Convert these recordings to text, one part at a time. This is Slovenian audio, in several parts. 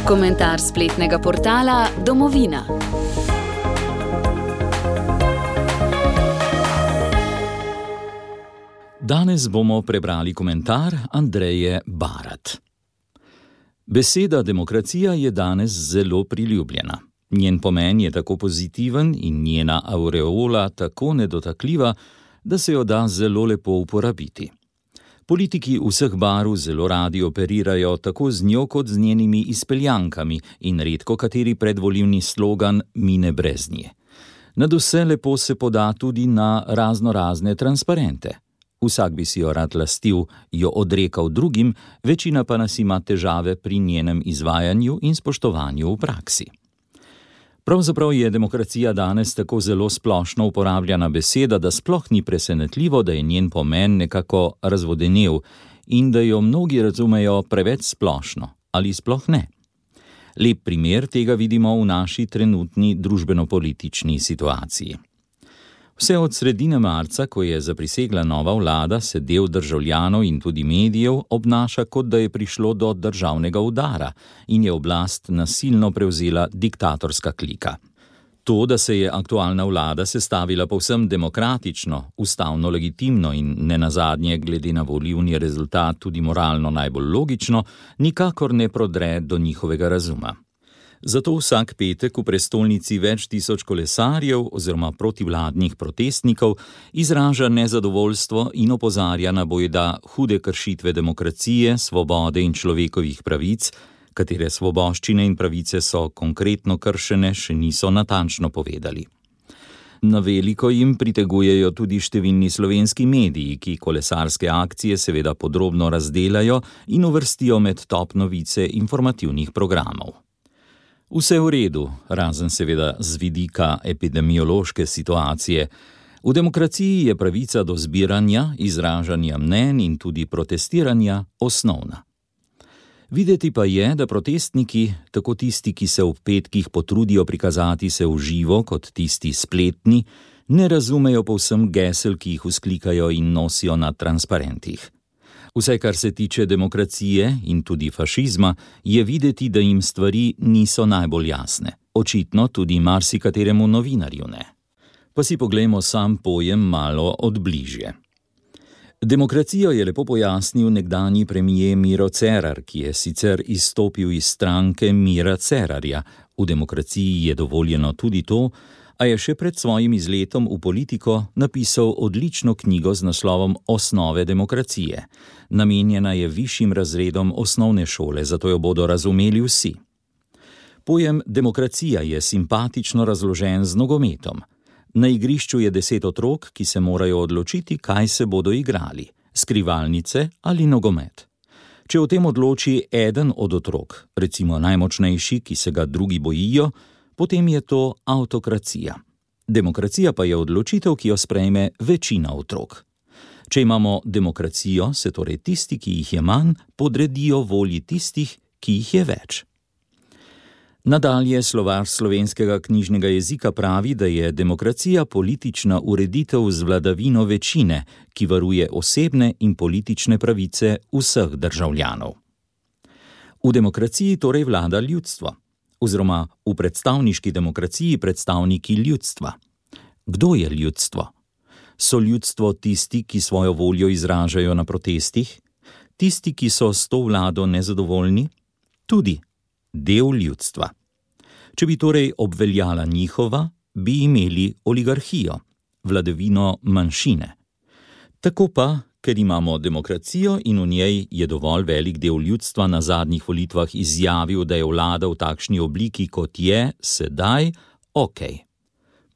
Komentar spletnega portala Domovina. Danes bomo prebrali komentar Andreje Barat. Beseda demokracija je danes zelo priljubljena. Njen pomen je tako pozitiven in njena aureola tako nedotakljiva, da se jo da zelo lepo uporabiti. Politiki vseh barv zelo radi operirajo tako z njo kot z njenimi izpeljankami in redko kateri predvolilni slogan mine brez nje. Nadvse lepo se poda tudi na raznorazne transparente. Vsak bi si jo rad lastil, jo odrekal drugim, večina pa nas ima težave pri njenem izvajanju in spoštovanju v praksi. Pravzaprav je demokracija danes tako zelo splošno uporabljana beseda, da sploh ni presenetljivo, da je njen pomen nekako razvodenel in da jo mnogi razumejo preveč splošno ali sploh ne. Lep primer tega vidimo v naši trenutni družbeno-politični situaciji. Vse od sredine marca, ko je zaprisegla nova vlada, se del državljanov in tudi medijev obnaša, kot da je prišlo do državnega udara in je oblast nasilno prevzela diktatorska klika. To, da se je aktualna vlada sestavila povsem demokratično, ustavno legitimno in nenazadnje glede na volilni rezultat tudi moralno najbolj logično, nikakor ne prodre do njihovega razuma. Zato vsak petek v prestolnici več tisoč kolesarjev oziroma protivladnih protestnikov izraža nezadovoljstvo in opozarja na bojda hude kršitve demokracije, svobode in človekovih pravic, katere svoboščine in pravice so konkretno kršene, še niso natančno povedali. Na veliko jim pritegujejo tudi številni slovenski mediji, ki kolesarske akcije seveda podrobno razdelajo in uvrstijo med top novice informativnih programov. Vse v redu, razen seveda z vidika epidemiološke situacije. V demokraciji je pravica do zbiranja, izražanja mnenj in tudi protestiranja osnovna. Videti pa je, da protestniki, tako tisti, ki se ob petkih potrudijo prikazati se v živo, kot tisti spletni, ne razumejo povsem gesel, ki jih vzklikajo in nosijo na transparentih. Vse, kar se tiče demokracije in tudi fašizma, je videti, da jim stvari niso najbolj jasne. Očitno tudi marsikateremu novinarju ne. Pa si poglejmo sam pojem malo od bližje. Demokracijo je lepo pojasnil nekdanji premier Miro Cerar, ki je sicer izstopil iz stranke Mira Cerarja. V demokraciji je dovoljeno tudi to, a je še pred svojim izletom v politiko napisal odlično knjigo z naslovom Osnove demokracije. Namenjena je višjim razredom osnovne šole, zato jo bodo razumeli vsi. Pojem demokracija je simpatično razložen z nogometom. Na igrišču je 10 otrok, ki se morajo odločiti, kaj se bodo igrali, skrivalnice ali nogomet. Če o tem odloči eden od otrok, recimo najmočnejši, ki se ga drugi bojijo, potem je to avtokracija. Demokracija pa je odločitev, ki jo sprejme večina otrok. Če imamo demokracijo, se torej tisti, ki jih je manj, podredijo volji tistih, ki jih je več. Nadalje slovar slovenskega knjižnega jezika pravi, da je demokracija politična ureditev z vladavino večine, ki varuje osebne in politične pravice vseh državljanov. V demokraciji torej vlada ljudstvo. Oziroma v predstavniški demokraciji predstavniki ljudstva. Kdo je ljudstvo? So ljudstvo tisti, ki svojo voljo izražajo na protestih? Tisti, ki so s to vlado nezadovoljni? Tudi del ljudstva. Če bi torej obveljala njihova, bi imeli oligarhijo, vladavino manjšine. Tako pa, ker imamo demokracijo in v njej je dovolj velik del ljudstva na zadnjih volitvah izjavil, da je vlada v takšni obliki, kot je, sedaj, okej.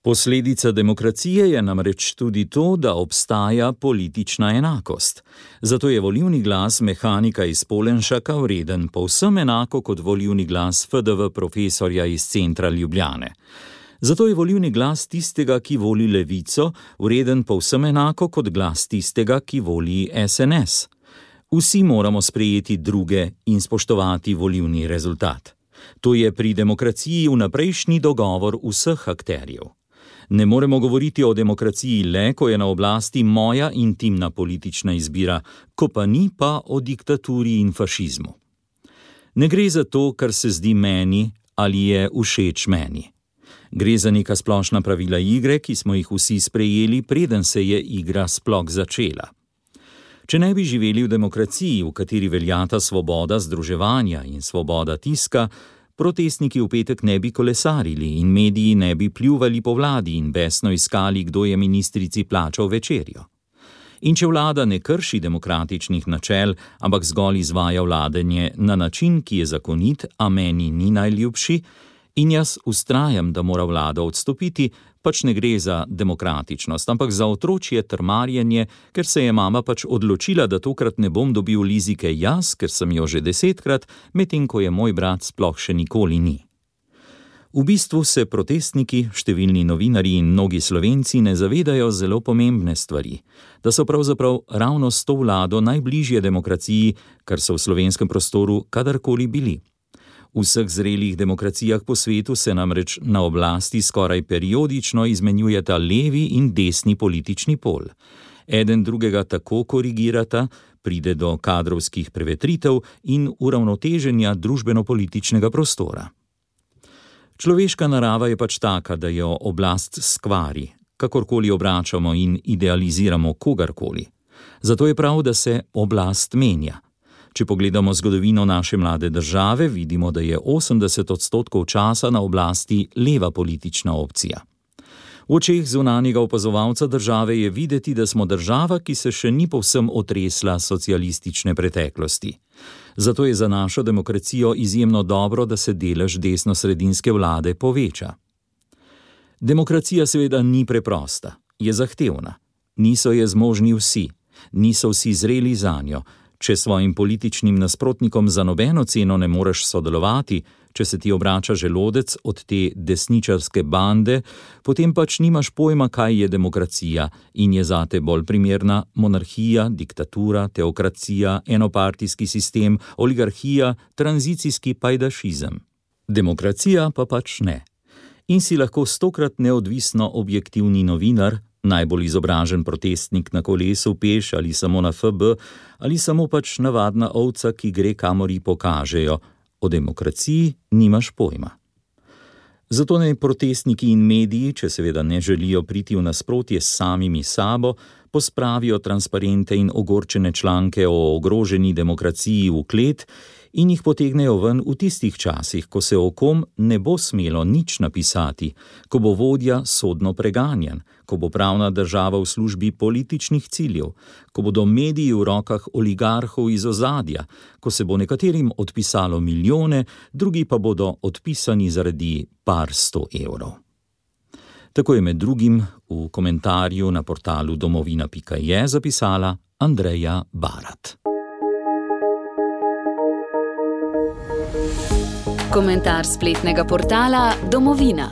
Posledica demokracije je namreč tudi to, da obstaja politična enakost. Zato je volilni glas mehanika iz Polenšaka vreden povsem enako kot volilni glas FDV profesorja iz centra Ljubljane. Zato je volilni glas tistega, ki voli levico, vreden povsem enako kot glas tistega, ki voli SNS. Vsi moramo sprejeti druge in spoštovati volilni rezultat. To je pri demokraciji vnaprejšnji dogovor vseh akterjev. Ne moremo govoriti o demokraciji le, ko je na oblasti moja intimna politična izbira, ko pa ni, pa o diktaturi in fašizmu. Ne gre za to, kar se zdi meni ali je všeč meni. Gre za neka splošna pravila igre, ki smo jih vsi sprejeli, preden se je igra sploh začela. Če ne bi živeli v demokraciji, v kateri veljata svoboda združevanja in svoboda tiska, protestniki v petek ne bi kolesarili in mediji ne bi pljuvali po vladi in besno iskali, kdo je ministrici plačal večerjo. In če vlada ne krši demokratičnih načel, ampak zgolj izvaja vladanje na način, ki je zakonit, a meni ni najljubši, in jaz vztrajam, da mora vlada odstopiti, pač ne gre za demokratičnost, ampak za otročje trmarjenje, ker se je mama pač odločila, da tokrat ne bom dobil lizike jaz, ker sem jo že 10-krat, medtem ko je moj brat sploh še nikoli ni. V bistvu se protestniki, številni novinarji in mnogi Slovenci ne zavedajo zelo pomembne stvari, da so pravzaprav ravno s to vlado najbližje demokraciji, kar so v slovenskem prostoru kadarkoli bili. V vseh zrelih demokracijah po svetu se namreč na oblasti skoraj periodično izmenjujeta levi in desni politični pol. Eden drugega tako korigirata, pride do kadrovskih prevetritev in uravnoteženja družbeno-političnega prostora. Človeška narava je pač taka, da jo oblast skvari, kakorkoli obračamo in idealiziramo kogarkoli. Zato je prav, da se oblast menja. Če pogledamo zgodovino naše mlade države, vidimo, da je 80% časa na oblasti leva politična opcija. V očeh zunanjega opazovalca države je videti, da smo država, ki se še ni povsem otresla socialistične preteklosti. Zato je za našo demokracijo izjemno dobro, da se delež desnosredinske vlade poveča. Demokracija seveda ni preprosta, je zahtevna. Niso je zmožni vsi, niso vsi zreli zanjo. Če svojim političnim nasprotnikom za nobeno ceno ne moreš sodelovati, če se ti obrača želodec od te desničarske bande, potem pač nimaš pojma, kaj je demokracija in je zate bolj primerna monarhija, diktatura, teokracija, enopartijski sistem, oligarhija, tranzicijski pajdašizem. Demokracija pa pač ne. In si lahko 100-krat neodvisno objektivni novinar, najbolj izobražen protestnik na kolesu, peš ali samo na FB, ali samo pač navadna ovca, ki gre, kamor ji pokažejo. O demokraciji nimaš pojma. Zato naj protestniki in mediji, če seveda ne želijo priti v nasprotje s samimi sabo, pospravijo transparente in ogorčene članke o ogroženi demokraciji v klet in jih potegnejo ven v tistih časih, ko se o kom ne bo smelo nič napisati, ko bo vodja sodno preganjan, ko bo pravna država v službi političnih ciljev, ko bodo mediji v rokah oligarhov iz ozadja, ko se bo nekaterim odpisalo milijone, drugi pa bodo odpisani zaradi par 100 evrov. Tako je med drugim v komentarju na portalu domovina.je zapisala Andreja Barat. Komentar spletnega portala Domovina.